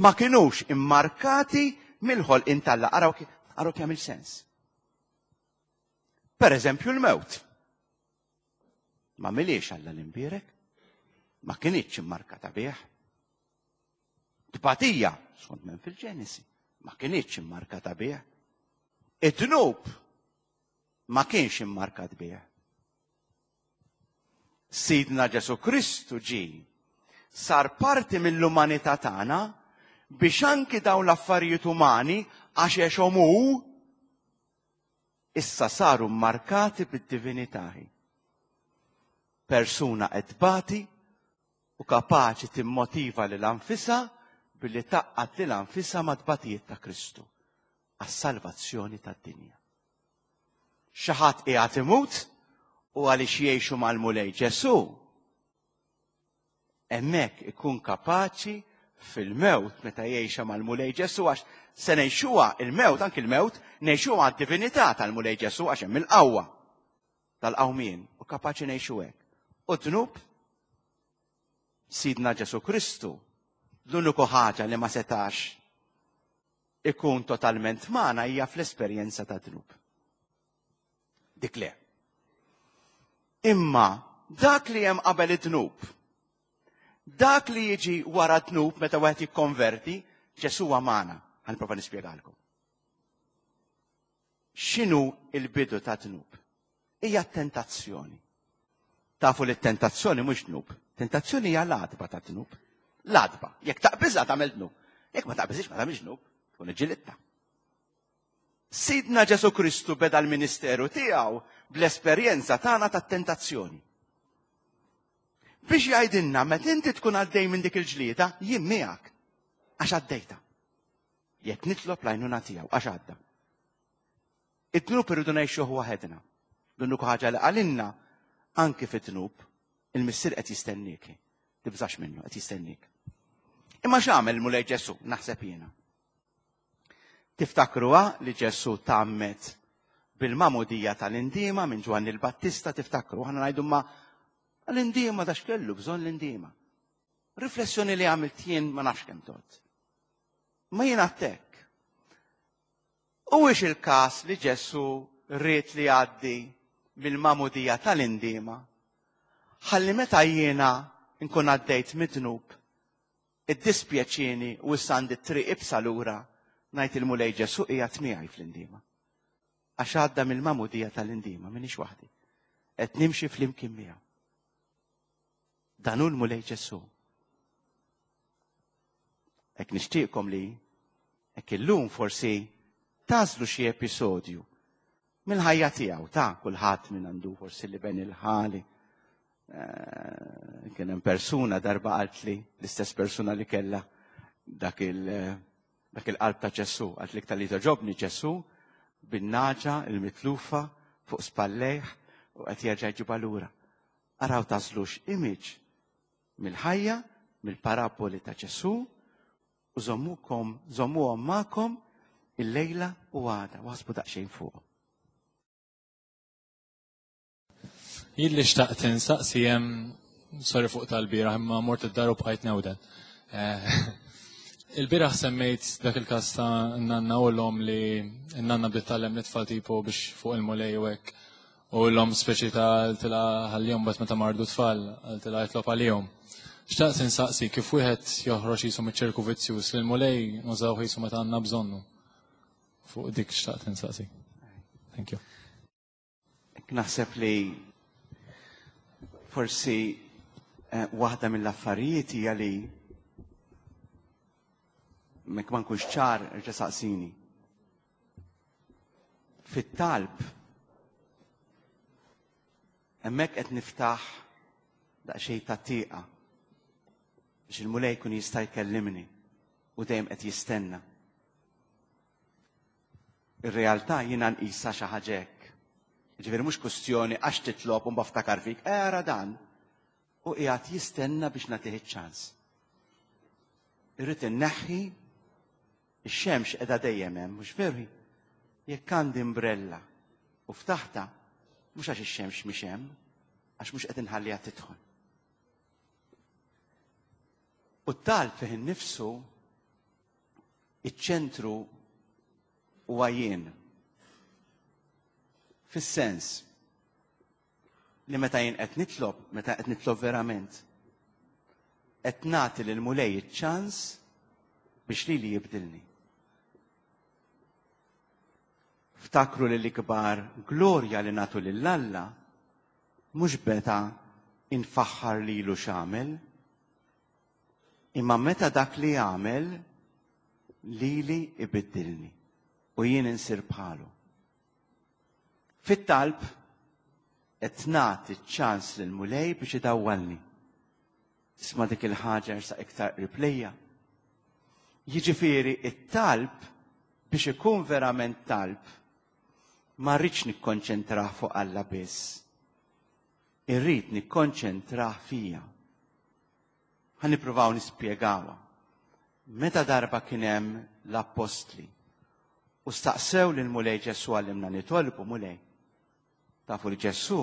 Ma kinux immarkati mill-ħolqien t'Alla. Araw araw kemm il-sens. Per eżempju l-mewt. Ma għamilhiex Alla l-imbierek. Ma kinitx immarkata bih. Tbatija, skont men fil-Ġenesi, ma kinitx immarkata bih. Id-dnub ma kienx immarkat bih. Sidna Ġesù Kristu ġie, sar parti mill-umanità tagħna biex anki dawn l-affarijiet umani għax għexhom hu issa saru markati bid-divinità. Persuna qed tbati u kapaċi timmotiva lil nfisha billi tgħaqqad lil nfisha mat-tbatijiet ta' Kristu għas-salvazzjoni tad-dinja. Xi ħadd qiegħed imut u għaliex jgħixu mal-Mulej Ġesù, hemmhekk ikun kapaċi fil-mewt meta jgħixha mal-Mulej Ġesù, għax se ngħixuha il-mewt, anki il-mewt, ngħixuha għad-divinità tal-Mulej Ġesù għax hemm il-qawwa tal-qawmien u kapaċi ngħixu hekk. U dnub Sidna Ġesù Kristu, l-uniku ħaġa li ma setax ikun totalment magħna hija fl-esperjenza ta' dnub. Dik le. Imma dak li hemm qabel id-dnub, dak li jiġi wara dnub meta wieħed jikkonverti, Ġesù huwa magħna. Ħa nipprova nispjegalkom. X'inhu il-bidu ta' dnub? Hija tentazzjoni. Tafu li t-tentazzjoni mhux dnub. Tentazzjoni hija l-għatba ta' dnub. L-għatba. Jekk taqbiżha tagħmel dnub. Jekk ma taqbiżhiex ma tagħmilx dnub, tkun iġġilidtha. Sidna Ġesù Kristu beda l-ministeru tiegħu bl-esperjenza tagħna tat-tentazzjoni. Biex jgħidilna meta inti tkun għaddej minn dik il-ġlieda, jien miegħek għax għaddejta. Jekk nitlob l-għajnuna tiegħu għax għadda. Id-dnub irridu ngħixuh waħedna. L-uniku ħaġa li qalilna anki fid-dnub, il-Missier qed jistenniek. Tibżax minnu, qed jistenniek. Imma x'għamel Mulej Ġesù, naħseb jiena. Tiftakruha li Ġesù tgħammed bil-magħmudija tal-indiema minn Ġwanni l-Battista, tiftakru, aħna ngħidu ma l-indiema da x'kellu bżonn l-indiema. Riflessjoni li għamilt jien ma nafx kemm tot. Ma jien għattek. Huwiex il-każ li Ġesù ried li jgħaddi mill-magħmudija tal-indiema, ħalli meta jiena nkun għaddejt mid-dnub, iddispjaċieni u issa għandi triq iebsa lura, ngħid il-Mulej Ġesù qiegħed miegħi fl-indiema. Għax għadda mill-magħmudija tal-indiema, m'iniex waħdi. Qed nimxi flimkien miegħu. Dan hu l-Mulej Ġesù. Hekk nixtieqkom li hekk illum forsi tagħżlu xi episodju mill-ħajja tiegħu ta' kulħadd minn għandu forsi li ben il-ħali. Eh, kien hemm persuna darba qaltli, l-istess persuna li kellha dak il- dak il-qalb ta' Ġesù, qalt li iktar li togħġobni Ġesù bin-nagħġa il-mitlufa fuq spallejh u qed jerġa' jġibha lura. Araw tagħżlux image mill-ħajja, mill-paraboli ta' Ġesù u żommukom, żommuhom magħkom il-lejla u għada, u aħsbu daqsxejn fuq. Jien li xtaqt insaqsi hemm, sorry fuq tal-bieraħ, imma mort id-dar u bqajt newden. Eh, il-bieraħ semmejt dak il-każ ta' nanna u l-om li nanna bdiet tgħallem l-itfal tipo biex fuq il-Mulej u hekk. U l-om speċi ta' qaltilha ħallihom bat meta mardu tfal, qaltilha jitlob għalihom. Xtaqt insaqsi kif wieħed joħroġ jisu miċ-ċirku vizzjuż li l-Mulej nużaw jisu meta għandna bżonnu. Fuq dik xtaqt insaqsi. Thank you. Naħseb li forsi, eh, waħda mill-affarijiet hija li mek ma nkunx ċar erġa' saqsini. Fit-talb hemmhekk qed niftaħ daqsxejn ta' tieqa biex il-Mulej jkun jista' jkellimni u dejjem qed jistenna. Ir-realtà jiena nqisha xi ħaġa hekk. Ġifieri mhux kwestjoni għax titlob u mbaftakar fik, era dan u qiegħed jistenna biex nagħtih iċ-ċans. Irrid inneħħi Ix-xemx qiegħda dejjem hemm, mhux veru? Jekk għandi imbrella u ftaħta, mhux għax ix-xemx mhix hemm, għax mhux qed inħalliha tidħol. U t-talb fih innifsu, iċ-ċentru huwa jien. Fis-sens li meta jien qed nitlob, meta qed nitlob verament, qed nagħti lil Mulej iċ-ċans biex lili jibdilni. Ftakru li l-ikbar glorja li nagħtu lil Alla mhux meta infaħħar lilu x'għamel, imma meta dak li għamel lili ibiddilni u jien insir bħalu. Fit-talb qed nagħti ċ-ċans lil Mulej biex idawwalni. Isma' dik il-ħaġa sa iktar qrib lejja. Jiġifieri it-talb biex ikun verament talb ma rridx nikkonċentrah fuq Alla biss. Irrid nikkonċentrah fija. Ħa nippruvaw nispjegawha. Meta darba kien hemm l-appostli u staqsew lil Mulej Ġesù għallimna nitolbu Mulej. Tafu li Ġesù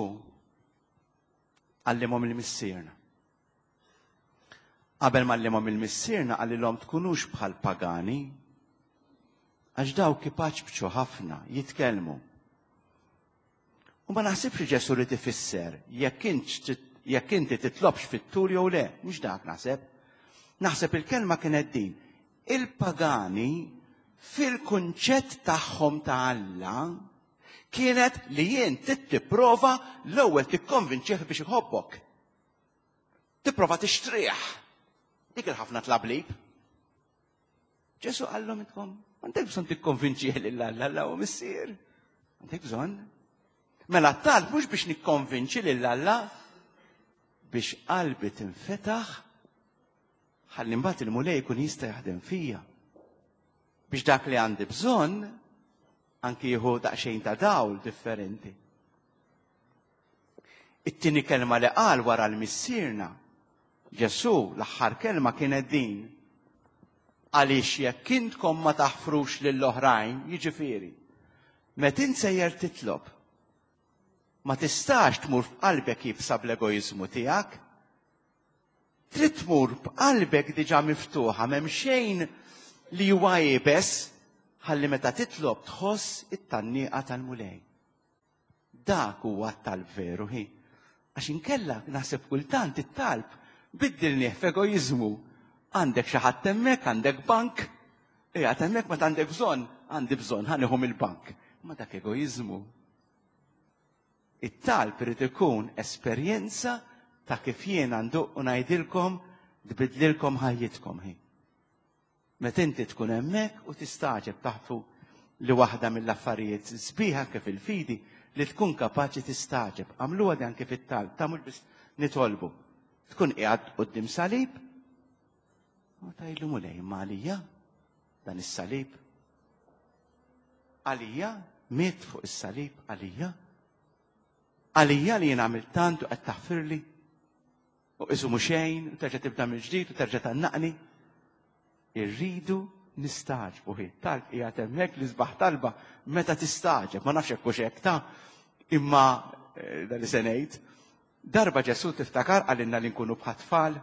għallimhom il-Missierna. Qabel ma għallimhom il-Missierna qalilhom tkunux bħal pagani, għax dawk ipaċbċu ħafna, jitkellmu. U ma naħsibx li Ġesù rid ifisser jekk jekk inti titlobx fit-tul jew le, mhux dak naħseb. Naħseb il-kelma kienet din. Il-pagani fil-kunċett tagħhom ta' Alla kienet li jien tipprova l-ewwel tikkonvinċih biex iħobbok. Tipprova tixtrih. Dik il-ħafna tlablib. Ġesu qallhom intkom, m'għandek bżonn tikkonvinċih lil Alla, Alla hu missier. Għandek bżonn. Mela t-talb mhux biex nikkonvinċi lil Alla, biex qalbi tinfetaħ ħalli mbagħad il-Mulej jkun jista' jaħdem fija. Biex dak li għandi bżonn anki jieħu daqsxejn ta' dawl differenti. It-tieni kelma li qal wara l-Missierna, Ġesù l-aħħar kelma kienet din. Għaliex jekk intkom ma taħfrux lill-oħrajn, jiġifieri, meta int sejjer titlob, ma tistax tmur f'qalbek jibsa bl-egoiżmu tiegħek. Trid tmur b'qalbek diġà miftuħa, m'hemm xejn li huwa iebes, ħalli meta titlob tħoss it-tgħanniqa tal-Mulej. Dak huwa t-talb veru hi. Għax inkella naħseb kultant it-talb biddilnieh f'egoiżmu. Għandek xi ħadd hemmhekk, għandek bank, qiegħed hemmhekk meta għandek bżonn, għandi bżonn, ħa nieħu mill-bank. Ma dak egoiżmu. It-talb irid ikun esperjenza ta' kif jiena nduq u ngħidilkom tbidlilkom ħajjitkom hi. Meta inti tkun hemmhekk u tistaġeb taħfu li waħda mill-affarijiet sbieħa kif il-fidi li tkun kapaċi tistaġeb. Għamluha di anke fit-talb, ta' mhux biss nitolbu. Tkun qiegħed quddiem salib u tgħidlu Mulej imma għalija dan is-salib. Għalija miet fuq is-salib għalija. Għalija li jien għamilt tant u qed taħfirli u qisu mhu xejn u terġa' tibda mill-ġdid u terġa' tgħannaqni. Irridu nistagħġbu hi. Talb qiegħed hemmhekk li sbaħ talba meta tistagħġeb, ma nafx hekk hux hekk ta' imma eh, dan li se ngħid. Darba Ġesù tiftakar qalilna li nkunu bħat-tfal.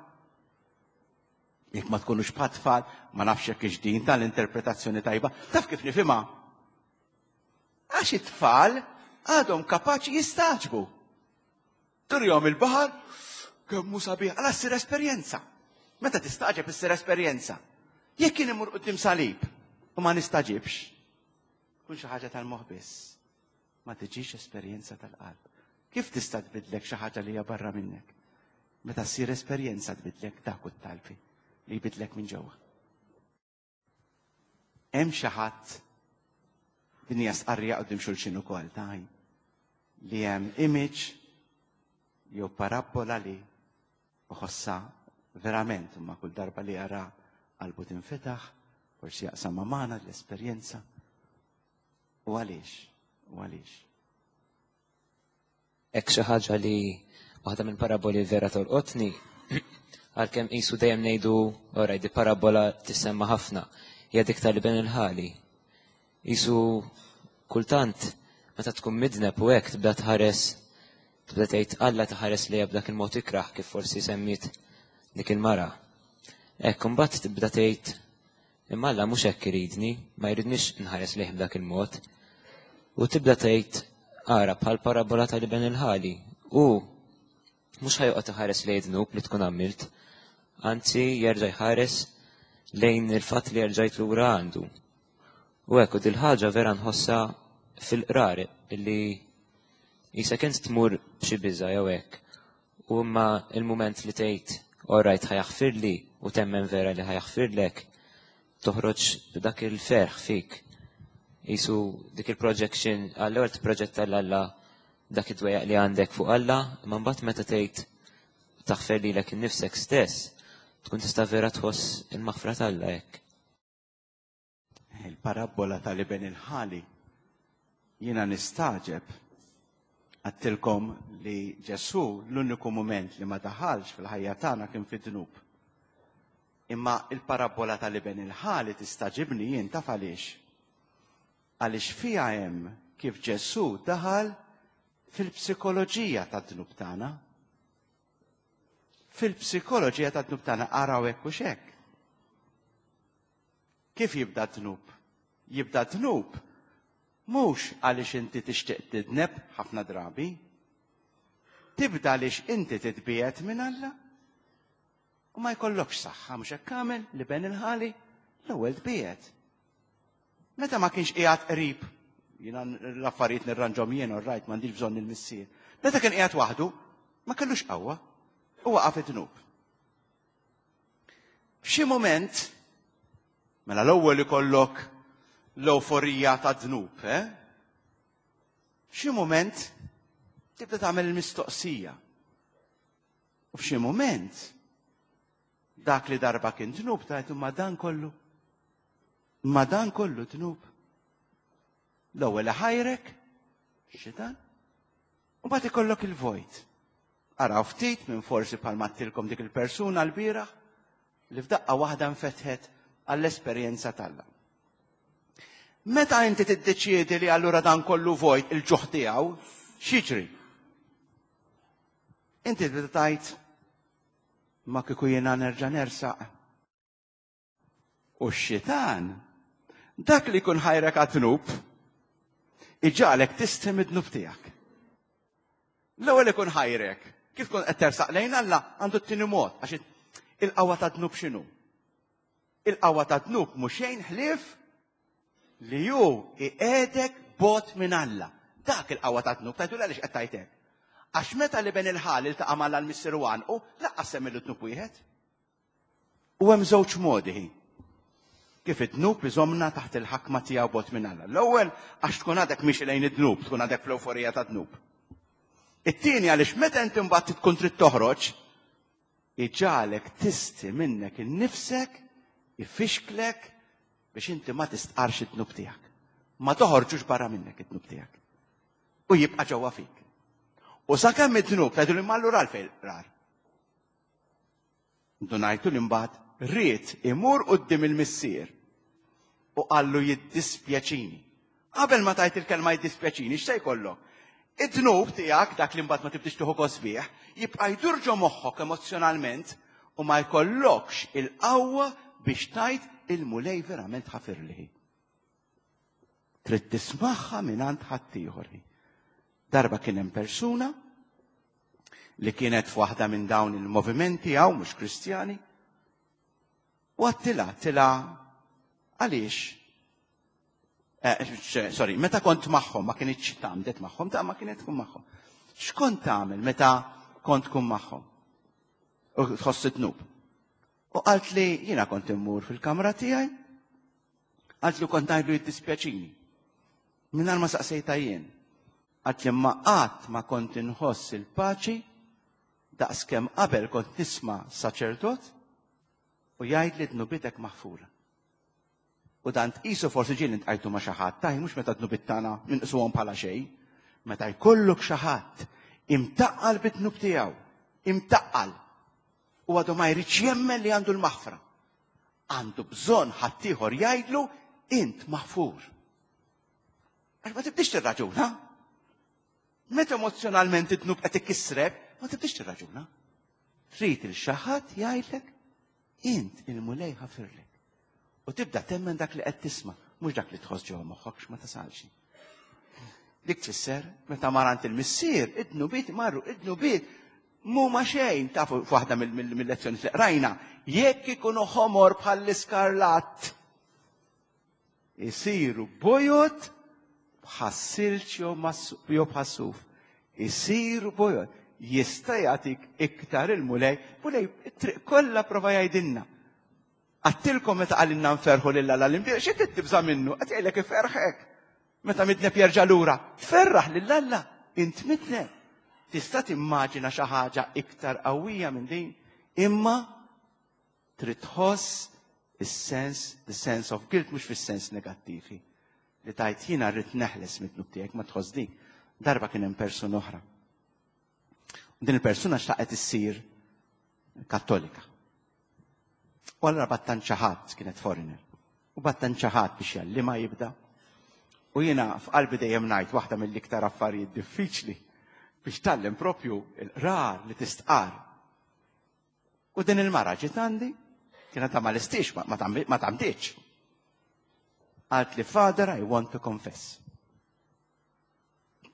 Jekk ma tkunux bħat-tfal, ma nafx hekk hix din tal-interpretazzjoni tajba. Taf kif nifhimha? Għax it-tfal għadhom kapaċi jistagħġbu. Turjom il-baħar, kemm hu sabiħ, għala ssir esperjenza. Meta tistagħġeb issir esperjenza. Jekk jien imur quddiem salib u ma nistaġibx, kun xi ħaġa tal-moħħ biss. Ma tiġix esperjenza tal-qalb. Kif tista' tbidlek xi ħaġa li hija barra minnek? Meta ssir esperjenza tbidlek dak u t-talbi li jbidlek minn ġewwa. Hemm xi ħadd din hija stqarrija quddiem xulxin ukoll taj li hemm image jew parabbola li uħossa verament imma kull darba li jara qalbu tinfetaħ, forsi jaqsam ma' magħna l-esperjenza. U għaliex? U għaliex? Hekk xi ħaġa li waħda minn paraboli vera tolqotni, għalkemm qisu dejjem ngħidu, oraj, di parabola tissemma ħafna. hija dik tal-iben il-ħali. Isu kultant meta tkun midneb u hekk tibda tħares tibda tgħid Alla taħares lejha b'dak il-mod ikrah kif forsi semmiet dik il-mara. Hekk imbagħad tibda tgħid imma Alla mhux hekk iridni, ma jridnix nħares lejh b'dak il-mod. U tibda tgħid ara bħal parabola tal-iben il-ħali. U mhux ħa joqgħod iħares lejn dnub li tkun għamilt, anzi jerġa' jħares lejn il-fatt li jerġajt lura għandu. U hekk u dil-ħaġa vera nħossha fil-qrar illi jisa kent tmur b'xi biża' jew hekk. U imma il-mument li tgħid alright ħa jaħfirli u temmen vera li ħa jaħfirlek, toħroġ b'dak il-ferħ fik. Jisu dik il-projection, għall-ewwel tipproġetta 'l Alla dak id-dwejjaq li għandek fuq Alla, imma mbagħad meta tgħid taħfer lilek innifsek stess, tkun tista' vera tħoss il-maħfra t'Alla hekk. Il-parabola tal-iben il-ħali jiena nistagħġeb għedtilkom li Ġesù l-uniku moment li ma daħalx fil-ħajja tagħna kien fid-dnub. Imma il-parabola tal-iben il-ħali tistagħġibni jien taf għaliex. Għaliex fiha hemm kif Ġesù daħal fil-psikoloġija tad-dnub tagħna. Fil-psikoloġija tad-dnub tagħna araw hekk u x'hekk. Kif jibda d-dnub? Jibda d-dnub mhux għaliex inti tixtieq tidneb ħafna drabi. Tibda għaliex inti titbiegħed minn Alla. U ma jkollokx saħħa mhux hekk għamel l-iben il-ħali l-ewwel tbiegħed. Meta ma kienx qiegħed qrib, jiena l-affarijiet nirranġhom jien all right, m'għandix bżonn il-missier. Meta kien qiegħed waħdu, ma kellux qawwa u waqa' fid-dnub. F'xi moment, mela l-ewwel ikollok l-euforija ta' dnub, eh? F'xi moment tibda tagħmel il-mistoqsija. U f'xi moment dak li darba kien dnub tajt ma dan kollu. Ma dan kollu dnub. L-ewwel ħajrek, xitan, u mbagħad ikollok il-vojt. Araw ftit minn forsi bħalma għedtilkom dik il-persuna l-bieraħ li f'daqqa waħda nfetħet għall-esperjenza t'Alla. Meta inti tiddeċiedi li allura dan kollu vojt il-ġuħ tiegħu, x'jiġri? Inti tibda tgħid ma kieku jiena nerġa' nersaq. U x-xitan, dak li jkun ħajrek għad-dnub, iġagħlek tistħi mid-dnub tiegħek. L-ewwel ikun ħajrek, kif tkun qed tersaq lejn Alla għandu t-tieni mod, għax il-qawwa ta' dnub x'inhu? Il-qawwa ta' dnub mhux xejn ħlief li hu iqiegħdek bogħod minn Alla. Dak il-qawwa ta' dnub, tgħidu għaliex qed tgħid hekk? Għax meta l-iben il-ħali ltaqa' mal missier u għanqu, lanqas semmilu dnub wieħed. U hemm żewġ modi kif id-dnub iżommna taħt il-ħakma tiegħu bogħod minn Alla. L-ewwel għax tkun għadek miexi lejn id-dnub, tkun għadek fl-euforija ta' dnub. It-tieni għaliex meta inti mbagħad tkun trid toħroġ, iġagħlek tistħi minnek innifsek, ifixklek biex inti ma tistqarx id-dnub tiegħek. Ma toħorġux barra minnek id-dnub tiegħek. U jibqa' ġewwa fik. U sakemm id-dnub tgħidu li allura għalfejn rar. Ndunajtu li mbagħad ried imur quddiem il-missier u qallu jiddispjaċini. Qabel ma tajt il-kelma jiddispjaċini, x'se jkollok? Id-dnub tiegħek, dak li mbagħad ma tibdix tieħu gost bih, jibqa' jdur ġo moħħok emozjonalment u ma jkollokx il-qawwa biex tgħid il-Mulej verament ħafirli. Trid tismagħha mingħand ħaddieħor. Darba kien hemm persuna li kienet f'waħda minn dawn il-movimenti hawn mhux Kristjani, u għedtilha, għedtilha għaliex? Eh, sorry, meta kont magħhom, ma kinitx tgħammdet magħhom, ta' ma kienet tkun magħhom. X'kont tagħmel meta kont tkun magħhom? U tħoss id-dnub. U qalt li jiena kont immur fil-kamra tiegħi, qalt li kont ngħidlu jiddispjaċini. Mingħajr ma saqsejta jien. Qalt li ma qatt ma kont inħoss il-paċi daqskemm qabel kont nisma' saċerdot u jgħid li dnubitek maħfura. U dan tqisu forsi ġieli ltqajtu ma' xi ħadd, taj mhux meta dnubiet tagħna minqsuhom bħala xejn, meta jkollok xi ħadd imtaqqal bid-dnub tiegħu, imtaqqal, u għadu ma jridx jemmen li għandu l-maħfra. Għandu bżonn ħaddieħor jgħidlu int maħfur. Għax ma tibdix tirraġuna. Meta emozjonalment id-dnub qed ikissrek, ma tibdix tirraġuna. Trid il xi ħadd jgħidlek int il-Mulej ħafirlek. U tibda temmen dak li qed tisma', mhux dak li tħoss ġewwa moħħok ma tasalx. Dik tfisser meta mar għand il-missier, id-dnubiet marru, id-dnubiet mhuma xejn tafu f'waħda mill-lezzjoni li qrajna, jekk ikunu ħomor bħall-iskarlat isiru bojod bħas-silġ jew bħas-suf. Isiru bojod. Jista' jagħtik iktar il-Mulej, Mulej it-triq kollha prova jgħidilna. Għattilkom meta qalilna nferħu lil Alla l-imbierek, xi trid tibża' minnu? Qed jgħidlek iferħek. Meta midneb jerġa' lura, tferraħ lil Alla, int midneb. Tista' timmaġina xi ħaġa iktar qawwija minn din, imma trid tħoss is-sens, the sense of guilt mhux fis-sens negattivi. Li tajt jiena rrid neħles mid-dnub tiegħek ma tħoss dik. Darba kien hemm persuna oħra. Din il-persuna xtaqet issir kattolika. U allura battan ħadd kienet foreigner. U battan ħadd biex jgħallimha jibda. U jiena f'qalbi dejjem ngħid waħda mill-iktar affarijiet diffiċli biex tgħallem propju il-qrar li tistqar. U din il-mara ġiet għandi, kienet ta' ma listix, ma tgħammditx. Qalt li Father, I want to confess.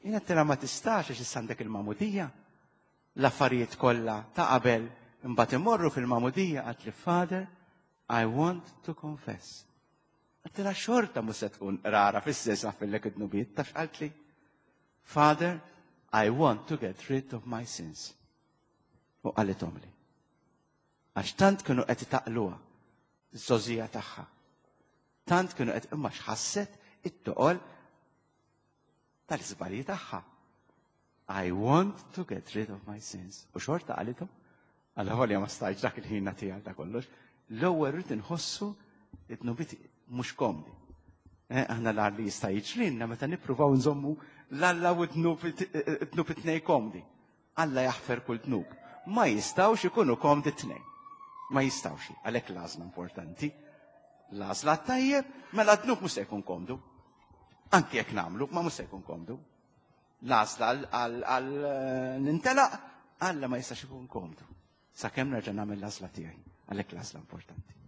Jiena għedtilha ma tistax għax issa għandek il-magħmudija. L-affarijiet kollha ta' qabel imbagħad imorru fil-magħmudija qalt li Father, I want to confess. Għedtilha xorta mhux se tkun rara fis-sens fillek id-dnubiet, taf qalt li Father, I want to get rid of my sins. U qalithom li. Għax tant kienu qed itaqluha iż-żgħożija tagħha. Tant kienu qed imma x'ħasset it-toqol tal-iżbalji tagħha. I want to get rid of my sins. U xorta qalithom, għalla ħolja ma stajtx dak il-ħin nagħtiha ta' kollox. L-ewwel rrid inħossu id-dnubiet mhux komdi. Eh, aħna l li jista' jiġrilna meta nippruvaw nżommu l-Alla u d-dnub it-tnejn komdi. Alla jaħfer kull dnub. Ma jistgħux ikunu komdi t-tnejn. Ma jistgħux, għalhekk l-għażla importanti. L-għażla tajjeb, mela d-dnub mhux se jkun komdu. Anki jekk nagħmlu, ma mhux se jkun komdu. L-għażla għal nintelaq, Alla ma jistax ikun komdu. Sakemm nerġa' nagħmel l-għażla tiegħi. Għalhekk l-għażla importanti.